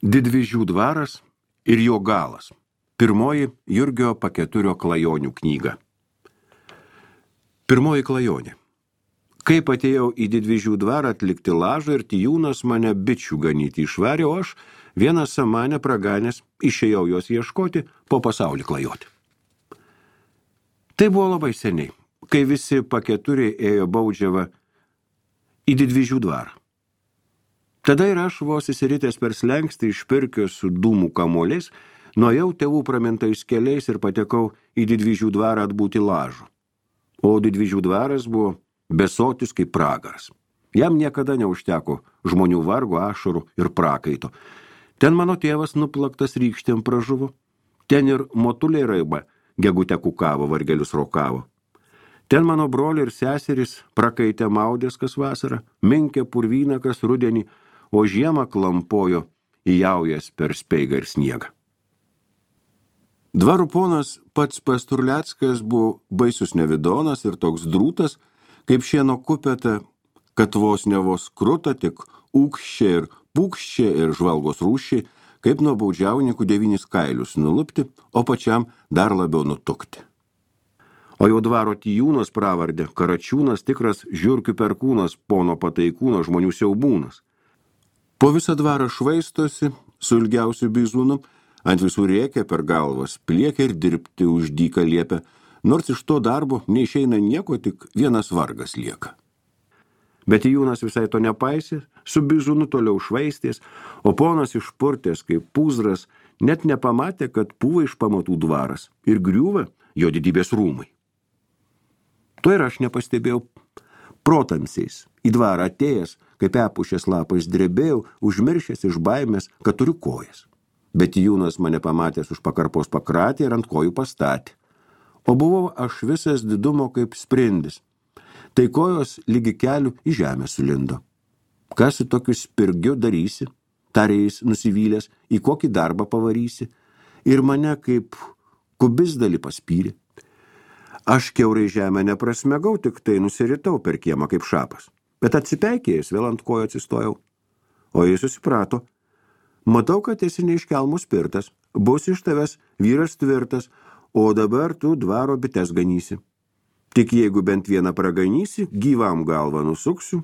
Didvyžių dvaras ir jo galas. Pirmoji Jurgio Paketurio klajonių knyga. Pirmoji klajonė. Kaip atėjau į Didvyžių dvarą atlikti lažą ir Tijūnas mane bičių ganyti išvarė, o aš vieną samanę praganęs išėjau jos ieškoti, po pasaulį klajoti. Tai buvo labai seniai, kai visi Paketuriai ėjo baudžiavą į Didvyžių dvarą. Tada ir aš vos įsiritęs per slenkstį iš pirkio su dūmų kamuoliais, nuėjau tėvų pramintais keliais ir patekau į Didvyžių dvarą atbūti lažų. O Didvyžių dvaras buvo besotis kaip pragaras. Jam niekada neužteko žmonių vargo, ašarų ir prakaito. Ten mano tėvas nuplaktas rykštėm pražuvo. Ten ir motuliai raiba gegutę kukavo, vargelius rokavo. Ten mano broliai ir seserys prakaitė maudės kas vasarą, minkė purvyną kas rudenį, o žiemą klampojo įjaujas per speigą ir sniegą. Dvarų ponas pats Pasturleckas buvo baisus nevidonas ir toks drūtas, kaip šieno kupeta, kad vos ne vos kruta, tik ūkščia ir pūkščia ir žvalgos rūšiai, kaip nuo baudžiauninkų 9 kailius nulupti, o pačiam dar labiau nutukti. O jau dvaro Tijūnas pravardė, Karačiūnas tikras žiurkių perkūnas, pono Pataikūno žmonių siaubūnas. Po visą dvarą švaistosi, su ilgiausiu bizūnu, ant visų rėkia per galvas, pliekia ir dirbti už dyką liepia, nors iš to darbo neišeina nieko, tik vienas vargas lieka. Bet Tijūnas visai to nepaisė, su bizūnu toliau švaistės, o ponas išpurtės kaip pūzras, net nepamatė, kad pūva iš pamatų dvaras ir griūva jo didybės rūmai. To ir aš nepastebėjau. Protamsiais į dvarą atėjęs, kaip epušės lapais drebėjau, užmiršęs iš baimės, kad turiu kojas. Bet Tijūnas mane pamatęs už pakarpos pakratė ir ant kojų pastatė. O buvau aš visas didumo kaip sprindis. Tai kojos lygi kelių į žemę sulindo. Kas su tokiu spirgiu darysi, tarė jis nusivylęs, į kokį darbą pavarysi, ir mane kaip kubisdalį paspyrė. Aš kiaurai žemę neprasmegau, tik tai nusiritau per kiemą kaip šapas, bet atsipeikėjęs vėl ant kojo atsistojau. O jis susiprato, matau, kad esi neiškelmų spirtas, bus iš tavęs vyras tvirtas, o dabar tu dvaro bites ganysi. Tik jeigu bent vieną praganysi, gyvam galvą nusuksiu,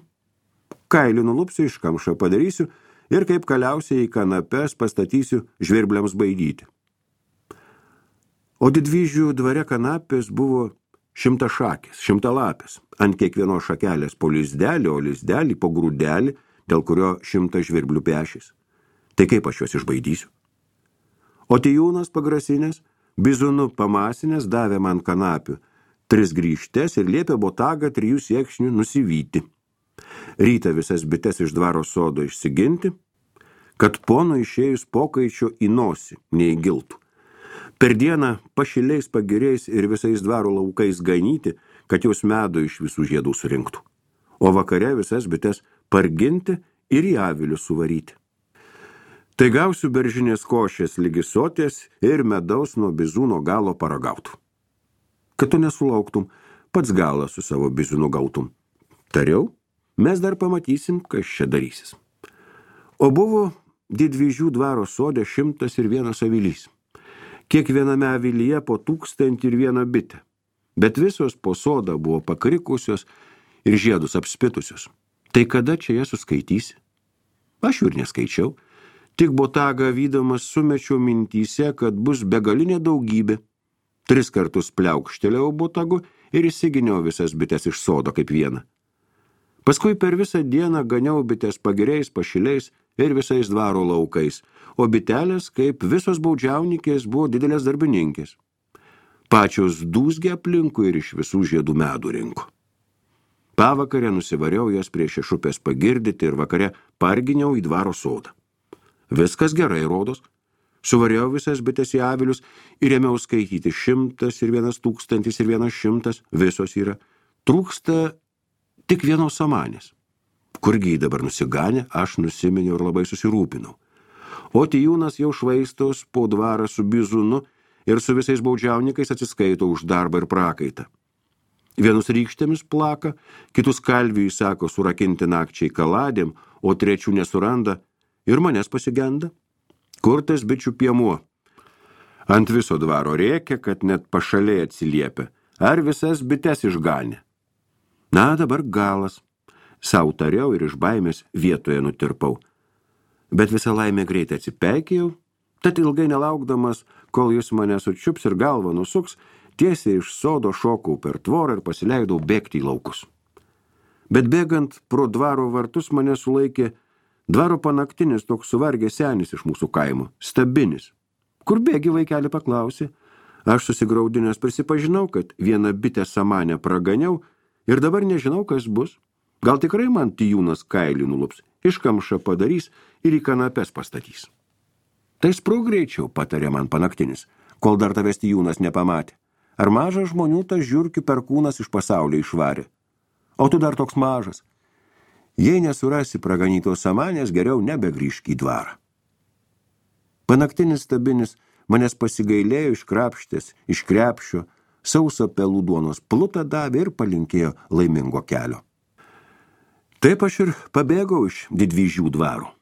kailį nulupsiu, iš kamšą padarysiu ir kaip kaliausiai į kanapes pastatysiu žvirbliams baidyti. O Didvyžių dvare kanapės buvo 100 šakės, 100 lapės, ant kiekvienos šakelės po lizdelį, o lizdelį po grūdelį, dėl kurio 100 žvirblių pešės. Tai kaip aš juos išbaidysiu? O Tijūnas pagrasinės, bizūnu pamasinės davė man kanapių 3 grįžtes ir liepė botagą 3 siekšnių nusivyti. Rytą visas bites iš dvaro sodo išsiginti, kad pono išėjus pokaičio į nosį neįgiltų. Per dieną pašiliais pagiriais ir visais dvaro laukais ganyti, kad jos medų iš visų žiedų surinktų. O vakare visas bites parginti ir į avilius suvaryti. Tai gausiu beržinės košės lygi soties ir medaus nuo bizūno galo paragautų. Kad tu nesulauktum, pats galą su savo bizūnu gautum. Tariau, mes dar pamatysim, kas čia darysis. O buvo Didvyžių dvaro sode 101 avilys. Kiekviename avilyje po 1001 bitę. Bet visos po sodą buvo pakrikusios ir žiedus apspitusios. Tai kada čia jas suskaitysi? Aš jų ir neskaičiau. Tik botagą vydamas sumečiau mintyse, kad bus begalinė daugybė. 3 kartus pliaukštelėjau botagu ir įsiginiau visas bites iš sodo kaip vieną. Paskui per visą dieną ganiau bites pagiriais, pašiliais ir visais dvaro laukais, o bitelės, kaip visos baudžiaunikės, buvo didelės darbininkės. Pačios dūzgė aplinkui ir iš visų žiedų medų rinko. Pavakarę nusivariau jas prie šešupės pagirdyti ir vakare parginiau į dvaro sodą. Viskas gerai rodos. Suvariau visas bites į avilius ir ėmiau skaityti 100 ir 1000 ir 100, visos yra. Trūksta tik vienos samanės. Kurgi dabar nusiganė, aš nusiminiau ir labai susirūpinau. O Tijūnas jau švaistos po dvarą su bizūnu ir su visais baudžiaunikais atsiskaito už darbą ir prakaitą. Vienus rykštėmis plaka, kitus kalviui sako surakinti nakčiai kaladėm, o trečių nesuranda ir manęs pasigenda. Kur tas bičių piemuo? Ant viso dvaro rėkia, kad net pašaliai atsiliepia. Ar visas bites išganė? Na, dabar galas. Sau tariau ir iš baimės vietoje nutirpau. Bet visą laimę greitai atsipeikėjau, tad ilgai nelaukdamas, kol jis mane sučiups ir galvą nusuks, tiesiai iš sodo šokau per tvorą ir pasileidau bėgti į laukus. Bet bėgant pro dvaro vartus mane sulaikė dvaro panaktinis toks suvargęs senis iš mūsų kaimo, Stabinis. Kur bėgi, vaikeli, paklausė. Aš susigraudinęs prisipažinau, kad vieną bitę samanę praganiau ir dabar nežinau, kas bus. Gal tikrai man tijūnas kailį nulups, iškamšą padarys ir į kanapes pastatys. Tai sprūk greičiau, patarė man panaktinis, kol dar tavęs tijūnas nepamatė. Ar mažas žmonių tas žiurkių perkūnas iš pasaulio išvarė? O tu dar toks mažas. Jei nesurasi praganytos samanės, geriau nebegrįžk į dvarą. Panaktinis Stabinis manęs pasigailėjo iškrapštės iš krepšio, sauso pelų duonos plutą davė ir palinkėjo laimingo kelio. Taip aš ir pabėgau iš Didvyžių dvaro.